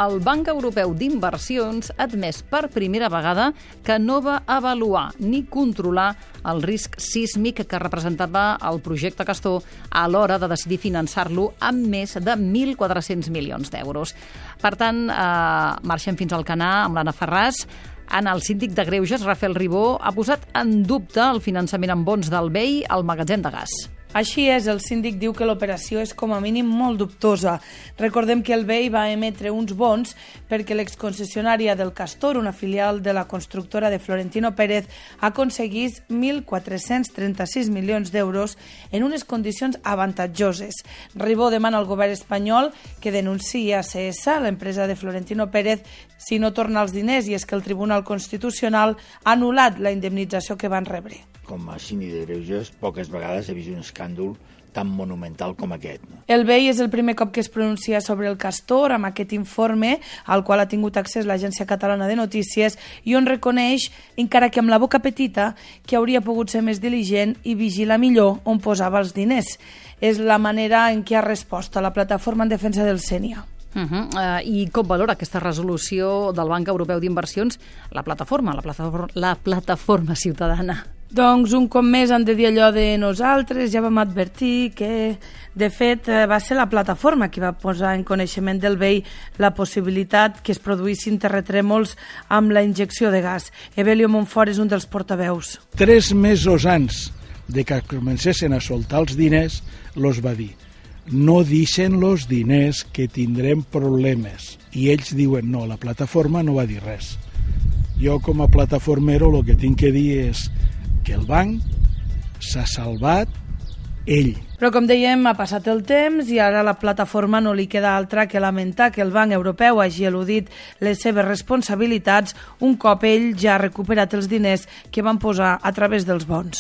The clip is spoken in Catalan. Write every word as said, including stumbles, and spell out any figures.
el Banc Europeu d'Inversions ha admès per primera vegada que no va avaluar ni controlar el risc sísmic que representava el projecte Castor a l'hora de decidir finançar-lo amb més de mil quatre-cents milions d'euros. Per tant, eh, marxem fins al Canà amb l'Anna Ferràs. Anna, el síndic de Greuges, Rafael Ribó, ha posat en dubte el finançament amb bons del B E I al magatzem de gas. Així és, el síndic diu que l'operació és com a mínim molt dubtosa. Recordem que el B E I va emetre uns bons perquè l'exconcessionària del Castor, una filial de la constructora de Florentino Pérez, aconseguís mil quatre-cents trenta-sis milions d'euros en unes condicions avantatjoses. Ribó demana al govern espanyol que denunciï a C S, l'empresa de Florentino Pérez, si no torna els diners, i és que el Tribunal Constitucional ha anul·lat la indemnització que van rebre. Com a síndic de Greuges, poques vegades he vist un escàndol tan monumental com aquest. El B E I és el primer cop que es pronuncia sobre el Castor amb aquest informe al qual ha tingut accés l'Agència Catalana de Notícies i on reconeix, encara que amb la boca petita, que hauria pogut ser més diligent i vigilar millor on posava els diners. És la manera en què ha respost a la plataforma en defensa del Sénia. Uh -huh. uh, I com valora aquesta resolució del Banc Europeu d'Inversions la plataforma, la plataforma, la plataforma ciutadana? Doncs un cop més han de dir allò de nosaltres, ja vam advertir que, de fet, va ser la plataforma qui va posar en coneixement del B E I la possibilitat que es produïssin terratrèmols amb la injecció de gas. Evelio Montfort és un dels portaveus. Tres mesos abans de que comencessin a soltar els diners, los va dir: no deixen los diners que tindrem problemes. I ells diuen no, la plataforma no va dir res. Jo com a plataformero el que tinc que dir és que el banc s'ha salvat ell. Però com dèiem, ha passat el temps i ara a la plataforma no li queda altra que lamentar que el Banc Europeu hagi eludit les seves responsabilitats un cop ell ja ha recuperat els diners que van posar a través dels bons.